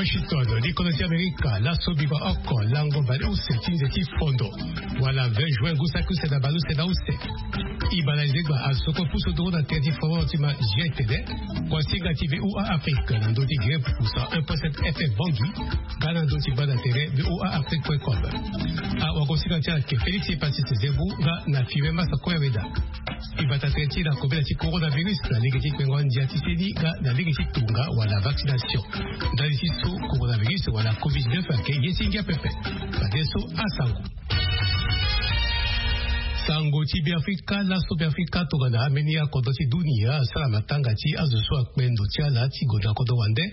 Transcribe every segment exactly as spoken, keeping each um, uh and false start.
Washington, likono ti Amerika, laso biba oko lango baleuse ti nze ti fondo wala vingt juin, ngu saki use na baleuse na use. Ibala ezegba azo soko pusu doro na tere ti fondo ti ma jetene. Wasinga ti VOA Afrique na ndö ti gere puku cent un point sept FM Bangui, nga na ndö ti banda tere VOA Afrique point com. Awagosinga ti ayeke Félix Epasis Zebu nga na Fibe Masa Koyaweda. Ibata tene ti na kobela ti coronavirus na lege ti kpengo ndia ti seni nga na lege ti tonga wala vaccination. Ndali ti so coronavirus wala covid neuf ayeke ye ti ngia pepe. Fadeso asango. Sango ti Beafrika, laso Beafrika tongana ambeni akodro ti dunia asara matanga ti azo so akpe ndo ti ala ti gue na kodro wande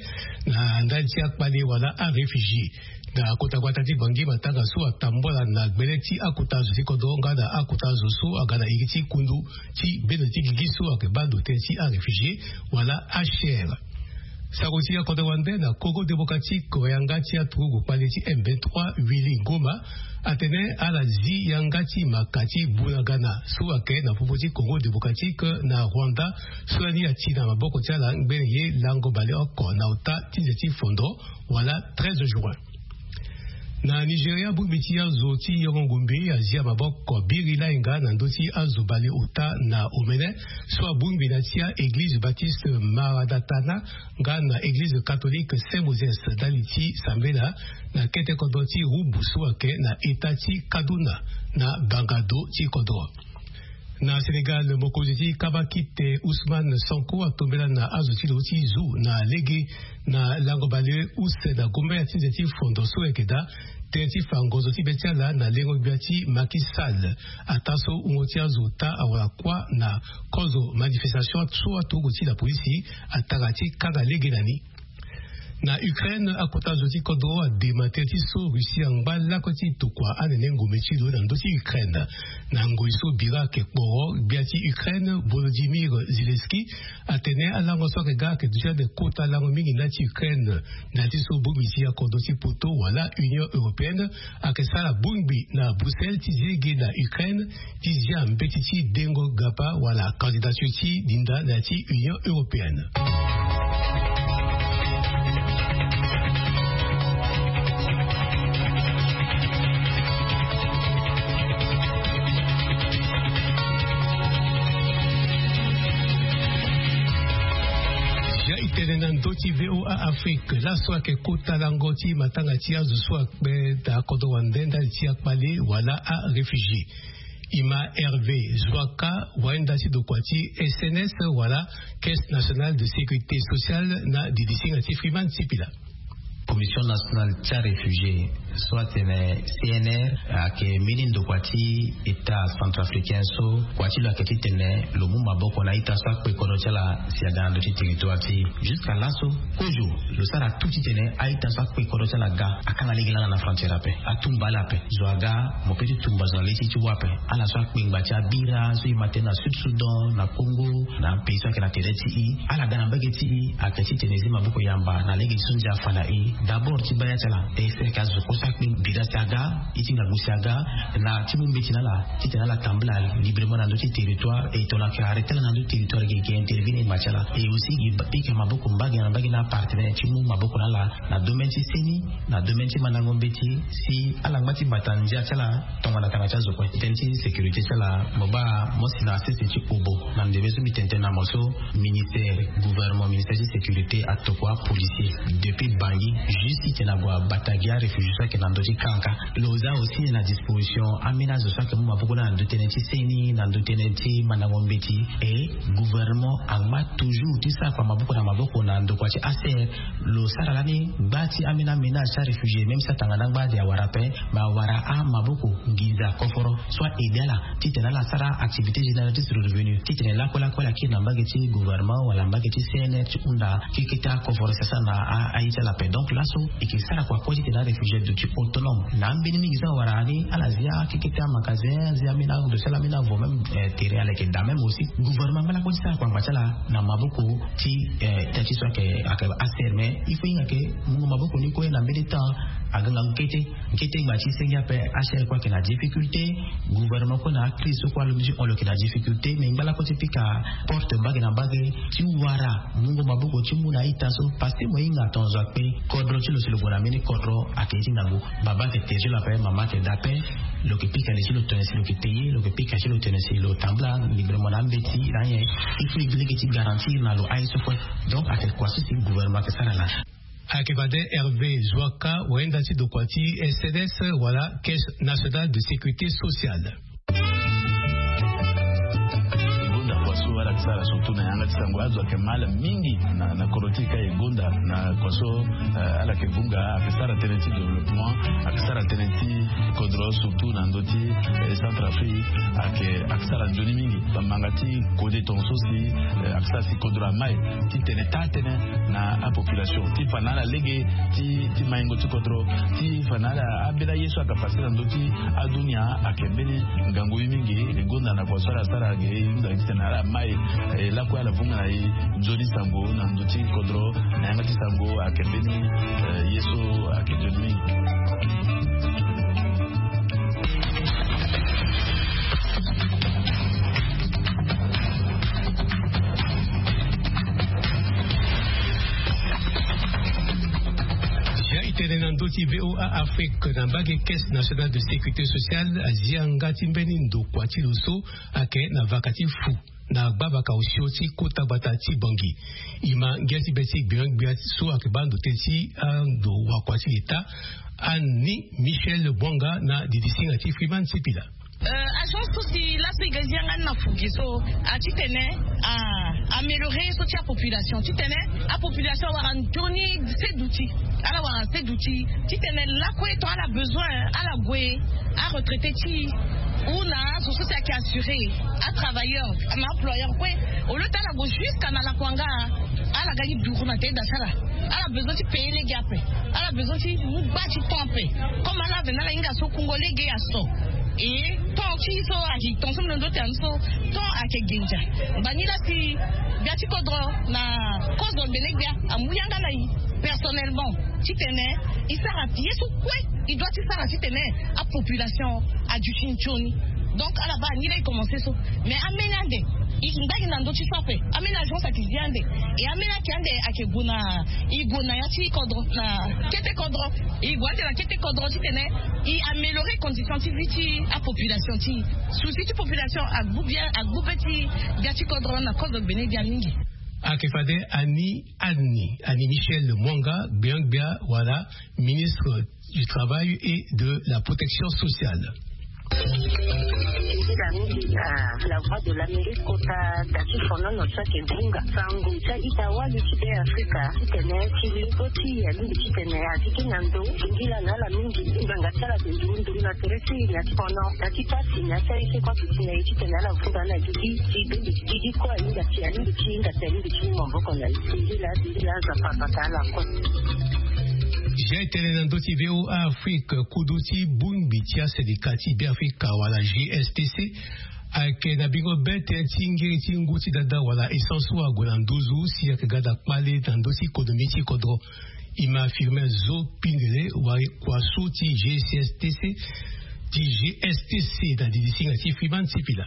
na ndali ti akpale wala aréfugié. Na kota gbata ti Bangui, matanga so atambula na gbele ti akota azo ti kodro nga na akota azo so aga na iri ti kundu ti bendo ti gigi so ayeke baa ndo tënë ti aréfugié wala H C R. Sango ti akodro wande na Congo démocratique, yanga ti aturugu kpale ti M vingt-trois Willy Ngoma atene ala zi yanga ti maka ti Bunagana so ayeke na popo ti Congo démocratique na Rwanda, so lani ati na maboko ti ala ngbene ye lango baleoko na ota ti nze ti fondo wala treize juin. Na Nigeria, bongbi ti azo ti yongo ngombe azia maboko biri lainga na ndö ti azo baleota na omene so abongbi na ti a-église baptiste Maradatana nga na église catholique Saint Moses ndali ti sambela na kete kodro ti Rubu so ayeke na eta ti Kaduna na bangado ti kodro. Na Sénégal, mokonzi ti kabakite Ousmane Sonko atombela na azo ti lo ti zu na lege na lango baleuse na gombela ti nze ti fondo so ayeke daa tënë ti fa ngonzo ti be ti ala na lengo gbia ti Macky Sall. Ataa so wungo ti azo ota awara kuâ na kozo manifestation so aturugu ti lapolisi atara ti kanga lege na ni. Na Ukraine, akota zo ti kodro adema tënë ti so Russie angba lakue ti tokua anene ngombe ti lo na ndö ti Ukraine. Na ngoi so bira ayeke kporo, gbia ti Ukraine Volodymyr Zelensky atene alango so ayeke ga ayeke duti ande kota lango mingi na ya ti Ukraine. Na ya ti so bongbi ti akodro ti poto wala Union européenne ayeke sara bongbi na Bruxelles ti zi lege na Ukraine ti zia mbeti ti dengo gapa wala candidature ti dinda na ya ti Union européenne. Ya itene na ndö ti VOA Afrique, laso ayeke kota lango ti matanga ti azo so akpe na kodro wande ndali ti akpale wala aréfugié. Ima Hervé Zoaka, wainda ti dokua ti S N S wala Caisse Nationale de Sécurité Sociale na didisinga ti Freeman Sipila. Commission nationale ti aréfugié so atene C N R ayeke mbeni ndokua ti état centrafricain so kua ti lo ayeke titene lo mu maboko na ita so akpe kodro ti ala si aga na ndö ti territoire ti e. Jusqu'à laso kozo lo sara tout titene a-ita so akpe kodro ti ala aga akanga lege langa na frontière ape, atumba ala ape. Zo aga, mo peut ti tumba zo na le ti e ti wa ape. Ala so akpengba ti abira so e ma tënë na Sud Soudan, na Congo, na apays so ayeke na tere ti e, ala ga na mbage ti e ayeke titene e zi maboko yamba na lege ti so ndia afa na e. D'abord ti baa ya ti ala, e sere ayeke azo kue so akpengba bira si aga, e ti ngangu si aga, na ti mu mbeti na ala titene ala tambula librement na ndö ti territoire. E tongana ayeke arrêté ala na ndö ti territoire, e yeke intervenir ngba ti ala. E aussi e ba- e yeke maboko mbage na mbage na apartenaire ti mu maboko na ala na domaine ti seni, na domaine ti mandango mbeti, si ala ngba ti bata ndia ti ala tongana tanga ti azo kue. Tënë ti sécurité ti ala, mo baa mo si na sese ti obo na ndembe so mbi tene tënë na mo so, ministère, gouvernement, ministère ti sécurité atokua apolicier depuis Bangui juste titene ague abata gi aréfugié so ayeke na ndö ti kanka. Lo za aussi na disposition ambeni azo so ayeke mu maboko na ndö tënë ti seni, na ndö tënë ti mandango mbeti. E gouvernement angba toujours ti sara kua maboko na maboko na ndokua ti H C R. Lo sara lani gba ti ambeni aménage ti aréfugié, même si atanga na angba ade awara ape, me awara amaboko nginza koforo so a-aidé ala titene ala sara activité génératrice de revenu, titene lakue lakue ala kiri na mbage ti gouvernement wala mbage ti C N R ti hunda keke ti akoforo si asara na a- aye ti ala ape. Donc laso e yeke sara kua kue titene aréfugié aduti autonome. Na ambeni mingi so awara ni, ala zia keke ti amagasin, azia ambeni ando ti ala, ambeni avo, même, eh, terrain ala yeke daa. Même aussi gouvernement angba lakue ti sara kua ngba ti ala na maboko ti, eh, ita ti so ayeke, ayeke H C R. Mais il faut hinga ke mungo maboko ni kue na mbeni temps aga ngangu kete. Kete ngba ti senge ape, H C R kue ayeke na difficulté, gouvernement kue na acrise so kue alondo ti hon lo yeke na difficulté. Mais ngba lakue ti pika porte mbage na mbage ti wara mungo maboko ti mu na ita so, parce que mo hinga tongaso akpe code Lo ti lo si lo gue na mbeni kodro ayeke ye ti ngangu. Baba ayeke te ti lo ape, mama ayeke da ape. Lo yeke pika li si lo tene si lo yeke te ye, lo yeke pika si lo tene si lo tambula. Ndigbe lo mo na ambeti na anyen. Il faut e gi lege ti garantir na lo aye so kue. Donc ayeke kua so si gouvernement ayeke sara na. Ayeke fade Hervé Zouaka, wayenda ti dokua ti S N S wala Caisse Nationale de Sécurité Sociale. E gonda kua so ala yeke sara surtout na yanga ti sango. Azo ayeke mal mingi na, na kodro ti e ka e gonda na kua so, eh, ala yeke vunga, ayeke sara tënë ti développement, ayeke sara tënë ti kodro surtout na ndö ti, eh, Centrafrique, ayeke, ayeke sara nzoni mingi. Bamanga ti kode tongaso si, eh, ayeke sara si kodro amai ti tene taa tënë na apopulation ti fa na ala lege ti, ti maingo ti kodro, ti fa na ala ambeni aye so ayeke pase na ndö ti adunia ayeke mbeni ngangu ye mingi. E gonda na kua so ala sara ge e hunda titene ala mai, eh, lakue ala vunga na e nzoni sango na ndö ti kodro na yanga ti sango ayeke mbeni, eh, ye so ayeke nzoni mingi. Jean, e tene na ndö ti V O A Afrique na mbage Caisse Nationale de Sécurité Sociale azi yanga ti mbeni ndokua ti lo so ayeke na vaka ti fu na gbavaka osio ti kota gbata ti Bangui. E ma ngia ti be ti gbia gbia so ayeke baa ndo tënë ti ando wakua ti leta, Annie Michel Bouanga na didisinga ti Freeman Sipila. Euh, agence so si laso e ga zi yanga ni na fu gi so, a titene, a, améliorer so ti apopulation, titene apopulation awara nzoni seduti, ala wara seduti titene lakue ton ala besoin ala gue aretraité ti ou na azo so si ayeke assuré, atravailleur, na employeur kue. Au lieu ti ala gue jusqu'à na lakuanga, ala ga ni duru na tene da ti ala. Ala besoin ti payer lege ape. Ala besoin ti mu gba ti temps ape. Comme ala ave na ala hinga so kungo lege aso. E temps ti so ayeke, temps so mbi londo ti ande so, temps ayeke genza. Ngbani la si gbia ti kodro na kozo gbene gbia amu yanga na e personnellement titene e sara ye so kue e doit ti sara titene apopulation aduti nzoni. Donc ala baa ni la e commencé so. Mais ambeni ande e ngba gi na ndö ti so ape. Ambeni agence ayeke zi ande. E ambeni ayeke ande ayeke gue na, e gue na ya ti kodro, na kete kodro. E gue ande na kete kodro titene e améliorer condition ti vie ti apopulation ti e. Souci ti population agbu bien, agbu be ti gbia ti kodro na kozo gbene gbia mingi. Ayeke fade Annie, Annie, Annie Michel Mouanga, gbia gbia wala ministre du Travail et de la Protection Sociale. Titene mingi na La Voix de l'Amérique kota da ti fonono so ayeke vunga sango ti a-ita wali ti Be Afrika titene ti lego ti e alingbi titene a zi gi na ndo singila na ala mingi. Ngbanga ti ala ayeke nduru nduru na tere ti e na ti fono na ti pasi na ya ti aye so e kue aduti na e titene ala vunga na gigi ti gigi kue ahinga ti, alingbi ti hinga ti, alingbi ti mu maboko na e. Singila, singila, Nzapa abata ala kue. Jean, e tene na ndö ti V O A Afrique, kodro ti bongbi ti asendika ti Beafrika wala G S T C ayeke na bingo be tënë ti ngiri ti ngu ti dada wala essence so ague na nduzu si ayeke ga daa kpale na ndö ti économie ti kodro. E ma Firmin Zo Pindele, wari kua so ti G S T C, ti G S T C na didisinga ti Freeman Sipila.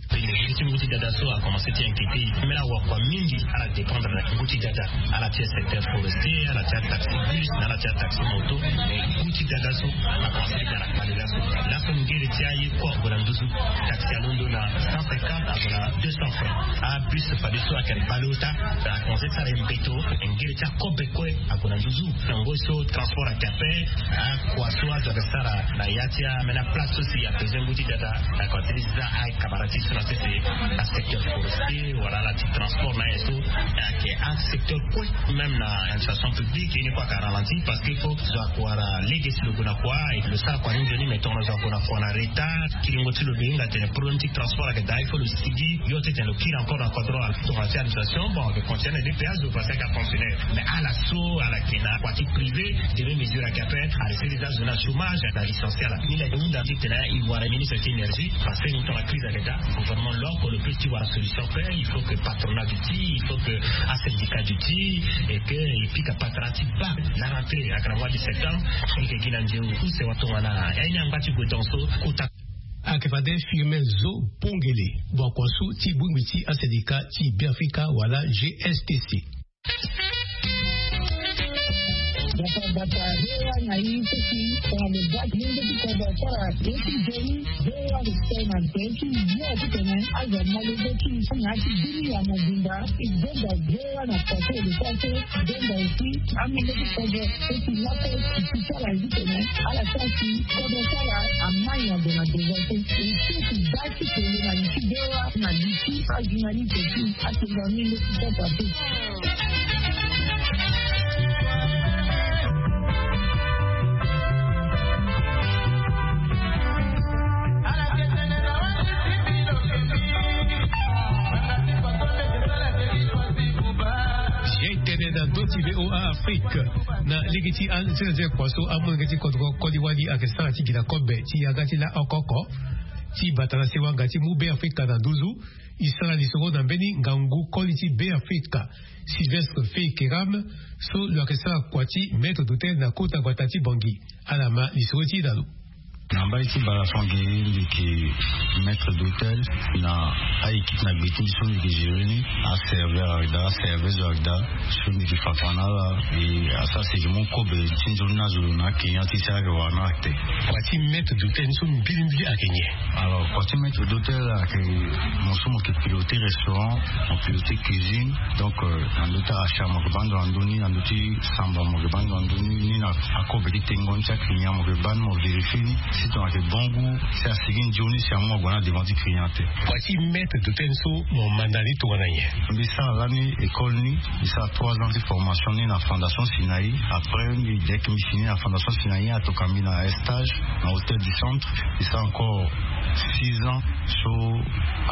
Pénurie ti ngu ti dada so a commencé ti inquiété e. Même awakua mingi ala dépendre na ngu ti dada, ala ti secteur forestier, ala ti ataxi bus, ala ti ataxi moto. Mais ngu ti dada so a commencé ti ga na kpale laso. Laso ngiri ti aye kue ague na nduzu. Taxi alondo na cent cinquante, ague na deux cents francs. Abus fadeso ayeke na baleota, a commencé ti sara e mbeto. Ngiri ti akobe kue ague na nduzu. Na ngoi so transport ayeke ape, akua so azo ayeke sara na ya ti ambeni aplace so si abezoin ngu ti dada. Ayeke ti za aye camarade ti so na sese, asecteur forestier wala ala ti transport na aye so. Ayeke asecteur kue, même na administration publique, ye ni kue ayeke ralenti parce que faut zo ayeke wara lege si lo gue na kua, lo sara kua ni nzoni, mais tongana zo ague na kua na retard, kiringo ti lo lo hinga atene problème ti transport ayeke daa, il faut lo sigi yo ti tene lo kiri encore na kodro. Tongana ti administration, bon, ayeke continuer na D P A zo parce que ayeke fonctionnaire. Mais ala so ala yeke na kua ti privé, demi mesure ayeke ape, ala siri za zo na chômage, ala licencier ala. Ni la e hunda titene e wara ministre ti énergie, parce que ni tongana crise ayeke daa, gouvernement lo oko lo peut ti wara solution ape. Il faut que patronat duti, il faut que asyndicat duti, et que e pika patara ti baa la rentrée ayeke na mois de septembre. E yeke gi na nzeu use wa tongana ya ni angba ti gue tongaso kota. Ayeke fade Firmin Zo Pongele, wakua so ti bongbi ti asendika ti Beafrika wala G S T C. Bata rewa na i teti tongana lo bati lenge ti kodro asara ye ti joni. Rewa lo tene na tene ti yo ti tene azo amolenge ti na ti bini ya mobimba. I donda rewa na kote lo sara so donda esi amolenge ti kodro teti lako ti ti sara ye ti tene ala sara si kodro sara amai na ndo na devance. I teti da ti tene na li ti rewa na li ti ajournaliste ti atene na minde ti sara te. Ye tene na ndö ti V O A Afrique na lege ti anzenzekua so amolenge ti kodro koli wali ayeke sara ti gi na kobe ti yanga ti la oko oko ti bata na sewa nga ti mu Be Afrika na nduzu. I sara lisoro na mbeni ngangu koli ti Be Afrika, Sylvestre Fei Keram, so lo yeke sara kua ti maître d'hôtel na kota gbata ti Bangui. Ala ma lisoro ti e na lo. Na mbali ti balefange, mbi yeke maître d'hôtel na a-équipe na gbe ti mbi so mbi yeke gérer ni, aserveur ayeke daa, aserveuse ayeke daa, so mbi yeke fa kua na ala. E asara si e yeke mu kobe ti nzoni ni azo na aclient ti e si ayeke wara na ala te. Kua ti maître d'hôtel ni so mbilimbili ayeke nyen? Alors, kua ti maître d'hôtel ayeke mo so mo yeke piloter restaurant, mo piloter cuisine. Donc, euh, na ndö ti achat mo yeke baa ndo na ndö ni, na ndö ti samba mo yeke baa ndo na ndö ni, ni na akobe ti tengo ni ti aclient mo yeke baa ni, mo vérifier ni si tongana ayeke bon goût, si asigi nzoni, si amu ague na devant ti client te. Kua ti maître d'hôtel so mo manda ni tongana nyen? Mbi sara lani école ni, mbi sara trois ans ti formation ni na Fondation Sinaï. Après mbi, dès que mbi fini na Fondation Sinaï, atoka mbi na stage na Hôtel du Centre. Mbi sara encore six ans, so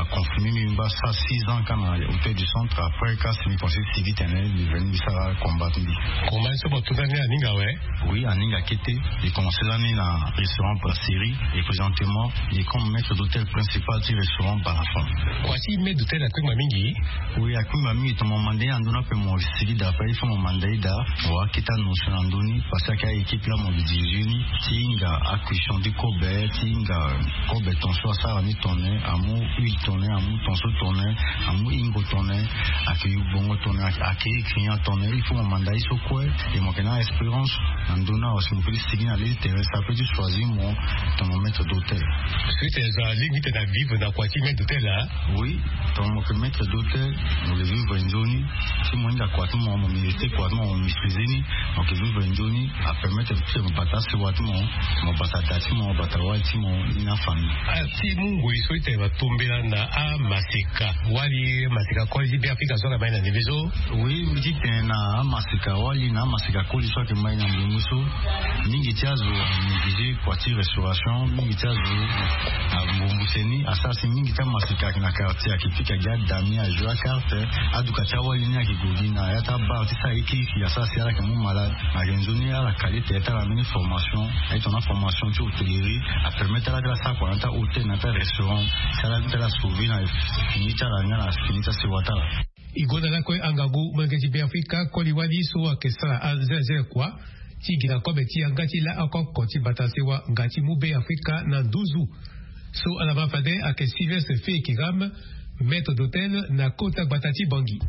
aconfirmer mbi, mbi baa sara six ans kâ na Hôtel du Centre. Après kâ si mbi pense ti sigi tene, mbi veni mbi sara combat ti mbi. Combat so mo tunda ni aninga awe? Oui, aninga kete. Mbi commencer lani na restaurant Brasserie et présentement mbi comme maître d'hôtel principal ti restaurant Balafon. Kua ti maître d'hôtel akpengba mingi? Oui, akpengba mingi. Tongana mo manda ye na ndö ni ape mo sigi daa ape, il faut mo manda ye daa, mo wara kete anotion na ndö ni, parce que ayeke a-équipe laa mo dirige ni ti hinga acuisson ti kobe, ti hinga kobe ton so asara ni tongana nyen, amu huile tongana nyen, amu ton so tongana nyen, amu hingo tongana nyen, ayeke yu bongo tongana nyen, ayeke, ayeke client tongana nyen. Il faut mo manda ye so kue. Et mo yeke na expérience na ndö ni awe, si mo peut ti sigi na le ti terrain, ça peut ti choisir mo tongana maître d'hôtel. Parce que tene so alingbi tene avivre na kua ti maître d'hôtel laa? Oui, tongana mo yeke maître d'hôtel, mo yeke vivre nzoni. Si mo hinga kua ti mo, mo mériter kua ti mo, mo maîtriser ni, mo yeke vivre nzoni. Apermettre ti mo bata sewa ti mo, mo bata da ti mo, mo bata wali ti mo, ni na famille. Ah, ti mu ngoi so ti tene mo tombela na amaseka wali, maseka koli ti Be Afrika so ala mai na ndembe so? Oui, mbi ti tene na amaseka wali na amaseka koli so ayeke mai na ndembe so. Mingi ti azo a négliger kua ti restauration, mingi ti azo ambumbu seni, asara si mingi ti amaseka ayeke na quartier ayeke pika gi adami, ajouer acarte. Aduka ti awali ni ayeke gue gi na ya ti abar ti sara ye kirikiri, asara si ala yeke mu malade. Na ayeke nzoni ala kali ete ti ala mbeni formation, aye tongana formation ti hôtellerie, apermettre ala ti ala sara kua na ya ti ahôtel, na ya ti arestaurant, si ala ti ala sauver na fini ti ala nga na fini ti asewa ti ala. E gonda lakue angangu molenge ti Be Afrika koli wali so ayeke sara anzelazela kua ti gi na kobe ti yanga ti la oko oko ti bata sewa nga ti mu Be Afrika na nduzu. So ala ma fade ayeke Sylvestre Fei Kiram, maître d'hôtel na kota gbata ti Bangui.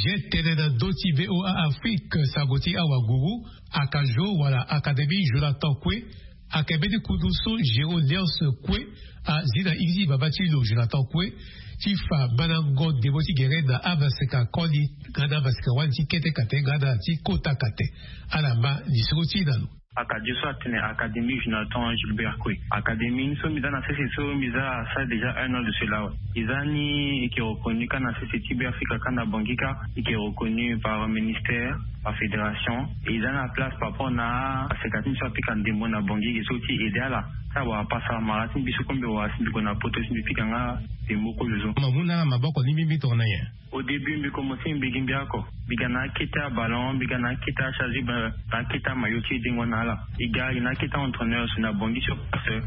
Ye tene na ndö ti V O A Afrique, sango ti awaguru, Akajo wala Académie Jonathan Kwe, ayeke mbeni kundu so Géo Léonce Kwe azi na iri ti baba ti lo Jonathan Kwe ti fa mandango ndembo ti gere na amaseka koli nga na amaseka wali ti kete kate nga na ti kota kate. Ala ma lisoro ti e na lo. Akajo so atene Académie Jonathan Gilbert Kwe. Académie ni so mbi za na sese so mbi za asara déjà un an de cela awe. E za ni e yeke reconnu kâ na sese ti Be Afrika kâ na Bangui kâ, e yeke reconnu par ministère, par fédération. E za na place par rapport na aseka ti mbi so apika ndembo na Bangui, e yeke so ti aider ala. Ti awara pasa mara ti mbi so kue mbi wara si mbi gue na poto si mbi pika nga ndembo kozo so. Mo mu na ala maboko ni mingi tongana nyen? Au début mbi komanse mbi gi mbi oko. Mbi ga na akete aballon, mbi ga na akete acharge, mbi ga na akete amaillot ti dengo na ala. E ga e na akete entraîneur so na Bangui sur place.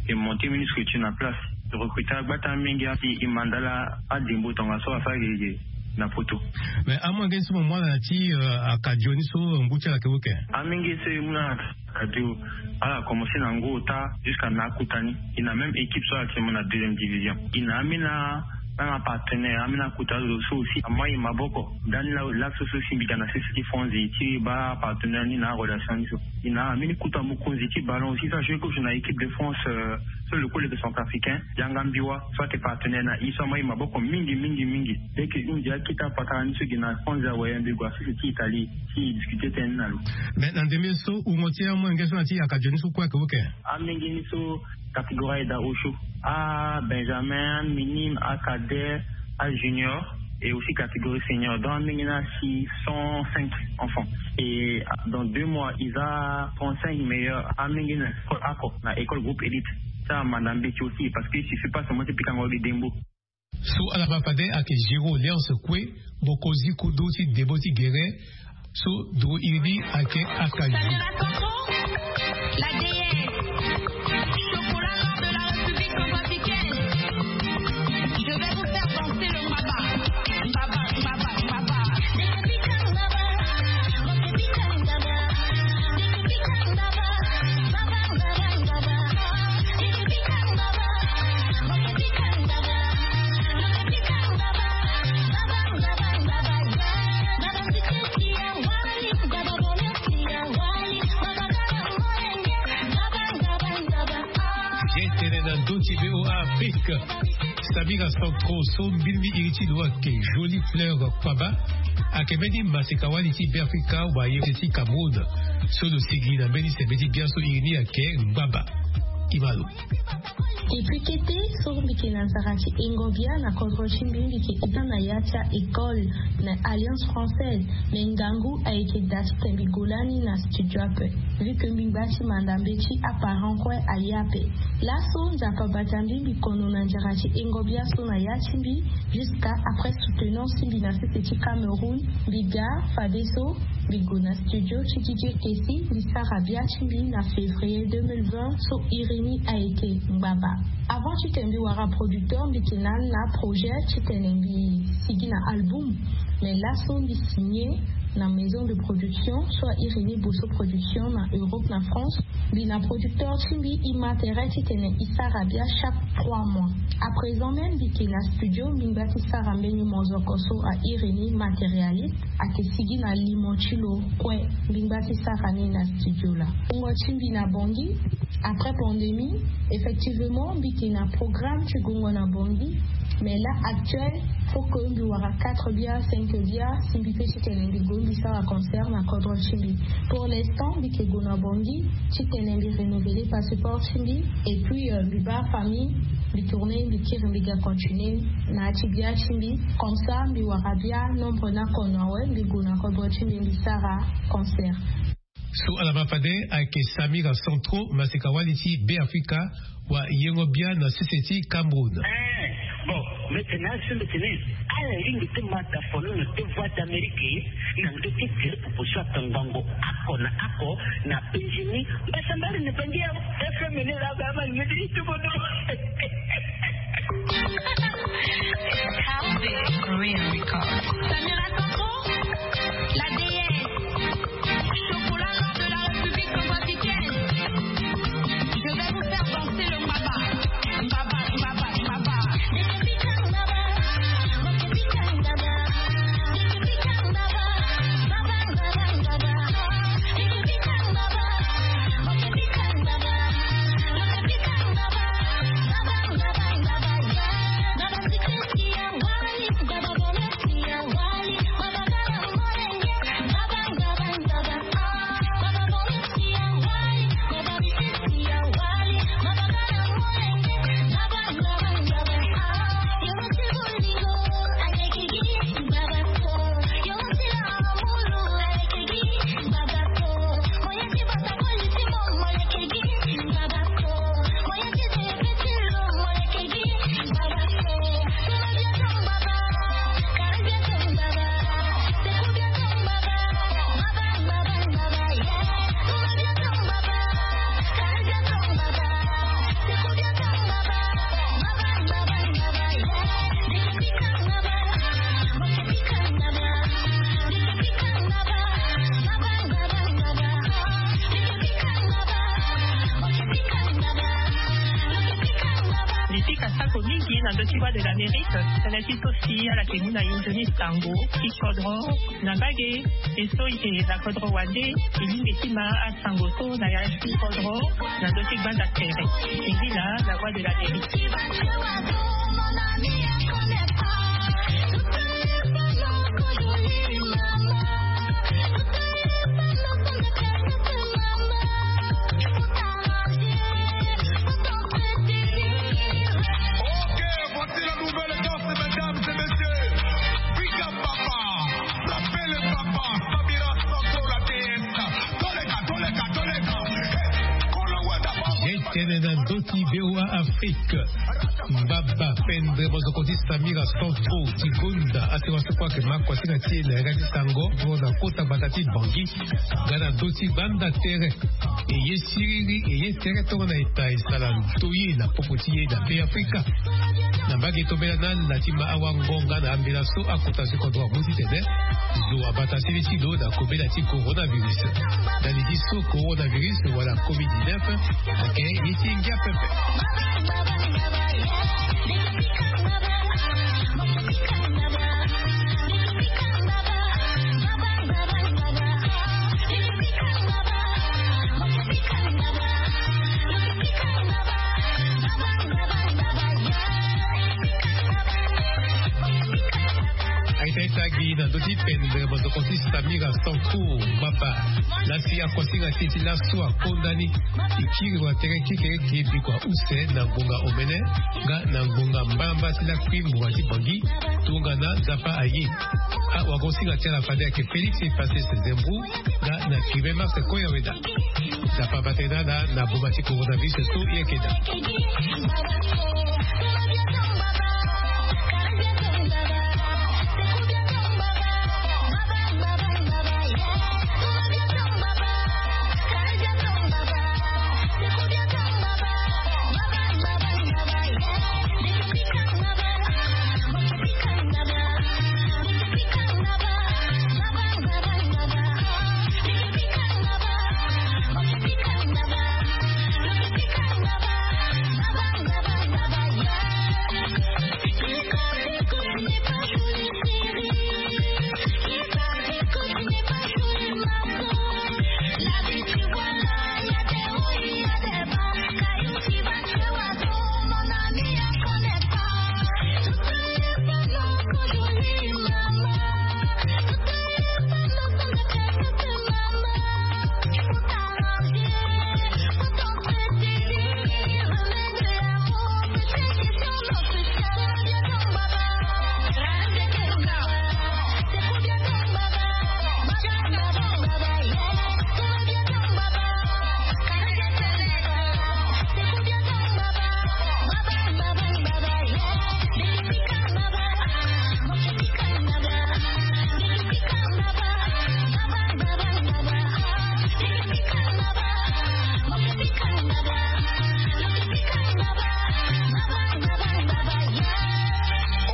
E monter mbeni structure na place. Recruter gbata mingi. E mandala adembo tongaso asara gege na poto. Mais amolenge so mo mu ala na ti akadio ni so ngu ti ala ayeke wu eke? Amolenge so e mu na akadio, ala commencer na ngu ota jusqu'à na akota ni. E na même équipe so ala ti mo na deuxième division. E na ambeni na na partenaire ambeni akota zo so aussi ama e maboko. Dani laso so si mbi ga na sese ti France ti baa partenaire ni na arelation ni so. E na ambeni kota mokonzi ti ballon aussi so ajoue kozo na équipe de France. So le kole yeke centrafricain yanga mbiwa so ayeke partenaire na e so ama e maboko mingi mingi mingi. Leke hunzi akita patara ni so gi na France awe mbi gue na sese ti Italie ti discuter tënë ni na lo. Mais na ndembe so wungo ti amolenge so na ti akadio ni so kue ayeke wu eke? Amolenge ni so catégorie aye daa osio, abenjamin, minime, acadet, ajunior et aussi catégorie senior. Donc amolenge ni asi cent cinq enfants. Et dans deux mois e za trente-cinq meilleurs amolenge ni na école ako na école groupe élite. So amanda mbeti aussi parce que il suffit pas seulement ti pikango gi dembo. So ala ma fade ayeke Giro Léonce Kue, mokonzi kodro ti debo ti gere. So duru iri ni ayeke akadio. Ye tene na ndö ti VOA Afrique. Samira Centro so mbili ni iri ti lo ayeke Jolie Fleur Kwaba, ayeke mbeni maseka-wali ti Beafrika wa ye ti Cameroun. So lo sigi na mbeni sembe ti biaso iri ni ayeke ngbaba. Ti ma lo. Depuis kete so mbi yeke na nzara ti hengo bia na kodro ti mbi, mbi yeke ita na ya ti a-école na Alliance Française. Me ngangu ayeke daa titene mbi gue lani na studio ape. Vu que mbi ngba ti manda mbeti, aparent kue aye ape. Laso Nzapa abata mbi, mbi kono na nzara ti hengo bia so na ya ti mbi. Jusqu'à après soutenance ti mbi na sese ti Cameroun, mbi ga fadeso mbi gue na studio ti DJ Kessy, mbi sara bia ti mbi na février deux mille vingt so iri ni ayeke ngbaba. Avant titene mbi wara producteur, mbi yeke na na projet titene mbi sigi na album. Mais laso mbi signé na maison de production so a iri ni Bosso Production na Europe, na France. Mbi na producteur ti mbi, e ma tere titene e sara bia chaque trois mois. À présent même mbi yeke na studio, mbi ngba ti sara mbeni mozoko so a iri ni Matérialiste. Ayeke sigi na limo ti lo kue. Mbi ngba ti sara ni na studio laa. Wungo ti mbi na Bangui. Après pandémie, effectivement mbi yeke na programme ti gongo na Bangui. Mais là actuel, faut que mbi wara quatre bia, cinq bia si mbi pe titene mbi gue mbi sara concert na kodro ti mbi. Pour l'instant mbi yeke gue na Bangui titene mbi renouveler passeport ti mbi. Et puis mbi baa famille, mbi tourner, mbi kiri, mbi ga continuer na ya ti bia ti mbi. Comme ça mbi wara bia nombre ni akono awe, mbi gue na kodro ti mbi, mbi sara concert. So ala ma fade ayeke Samira Centro, maseka-wali ti Beafrika, wa yengo bia na sese ti Cameroun. Bon, mbi tene asi mbi tene ala lingbi ti ma dafono na deux voix d'Amérique na ndö ti gere popo so atongbango ako na ako na Benjamin. Mbasambari na Benjamin. F M ni la ba ma ni ti tubo do. Korean Records. Samira Centro, la déesse. Chocolat noir de la République centrafricaine. Je vais vous faire danser le mbaba. Mbaba, mbaba, mbaba. Ti Voix de l'Amérique, tënë ti so si ala yeke mu na e nzoni sango ti kodro na mbage. E so e yeke na kodro wande, e lingbi ti ma asango so na ya ti kodro na ndö ti gbanda tere. E ngi laa na Voix de l'Amérique. Ok, voici la nouvelle danse, mesdames et messieurs. Big up, papa. Frappez le papa. Samira Santo, la déesse. Toleka, toleka, toleka. Hey, kolo wenda, papa. Ye tene na ndö ti V O A Afrique. Mbaba pendre mozoko ti Samira Santo ti gonda asiri waso kue ayeke ma kuasinga ti e na yanga ti sango. Mo na kota gbata ti Bangui nga na ndö ti gbanda tere. E ye siriri, e ye tere tongana eta e sara ndoye na popo ti e na Be Afrika. Na mbage tombela na ala ti ma awango nga na ambela so akota si kodro amu titene zo abata sili ti lo na kobela ti coronavirus. Ndali ti so coronavirus wala covid dix-neuf ayeke ye ti ngia pepe. Aita ita gi na ndö ti pendre mozoko ti Samira Santo, mbaba. Lasi akuasinga ti e ti laso akonda ni. E kiri wa tere kekereke bikua use na ngonga omene nga na ngonga mbalambala ti lakui ngonga ti Bangui. Tongana Nzapa aye. Awagosinga ti ala fade ayeke Félix Epasses Zembrou nga na Cubain Marc Koyaweda. Nzapa abatene ala na boma ti coronavirus so e yeke daa.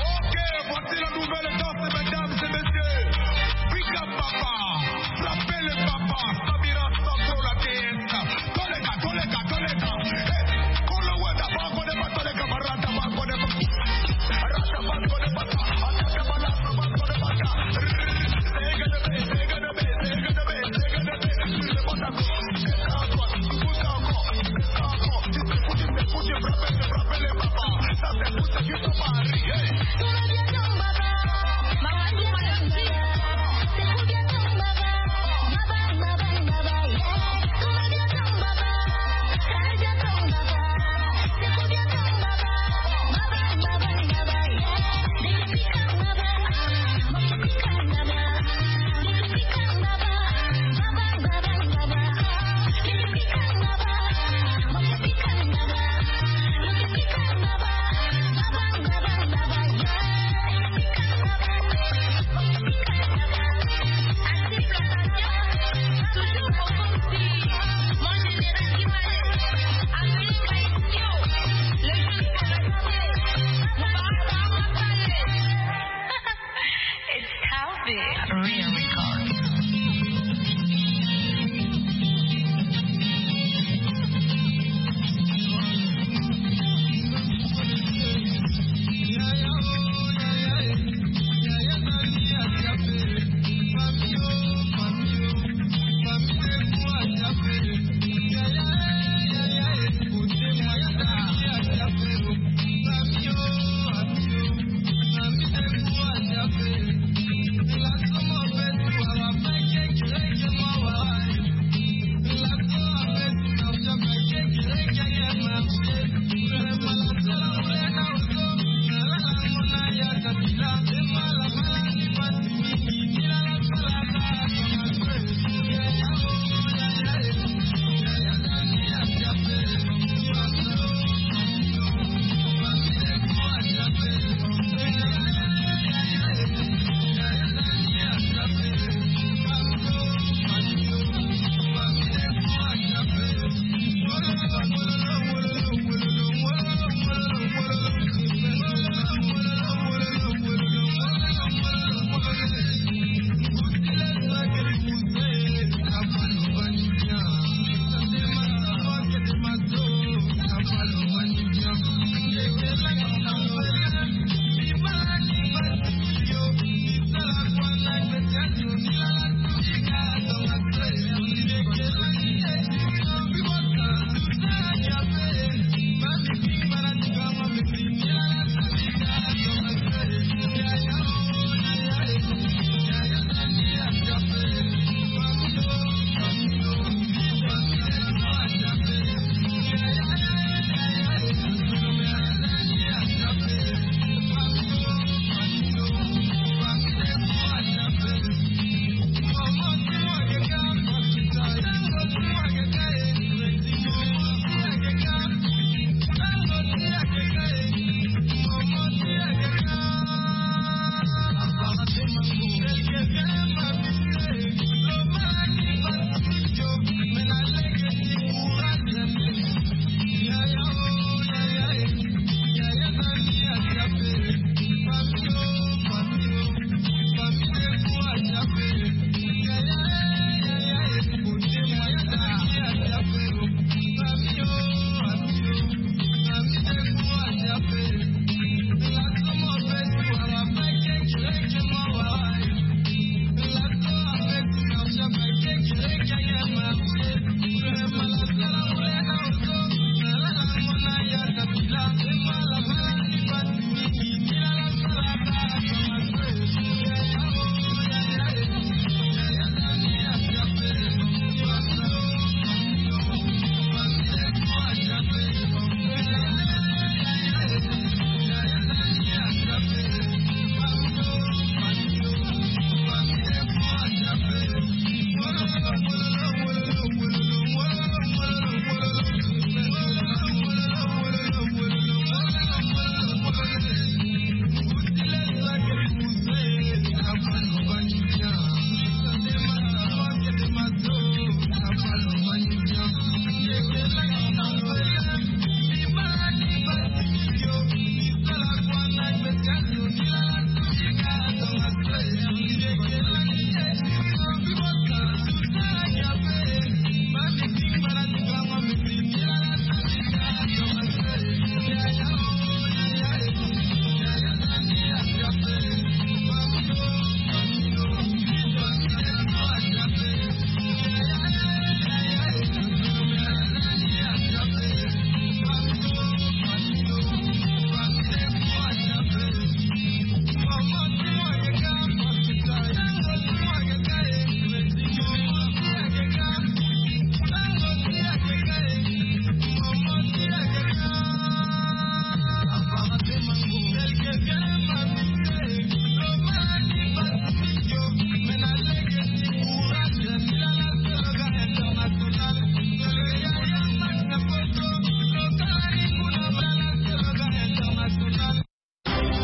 Ok, voici la nouvelle danse, mesdames et messieurs. Big up, papa. Frappez le papa. Samira Santo, la déesse. Toleka, toleka, toleka. Hey, kolo wenda, bango ne ba toleka, barata, bango ne ba. Barata, bango ne ba. Atata, balata, bango ne ba. It's Calvin. Real.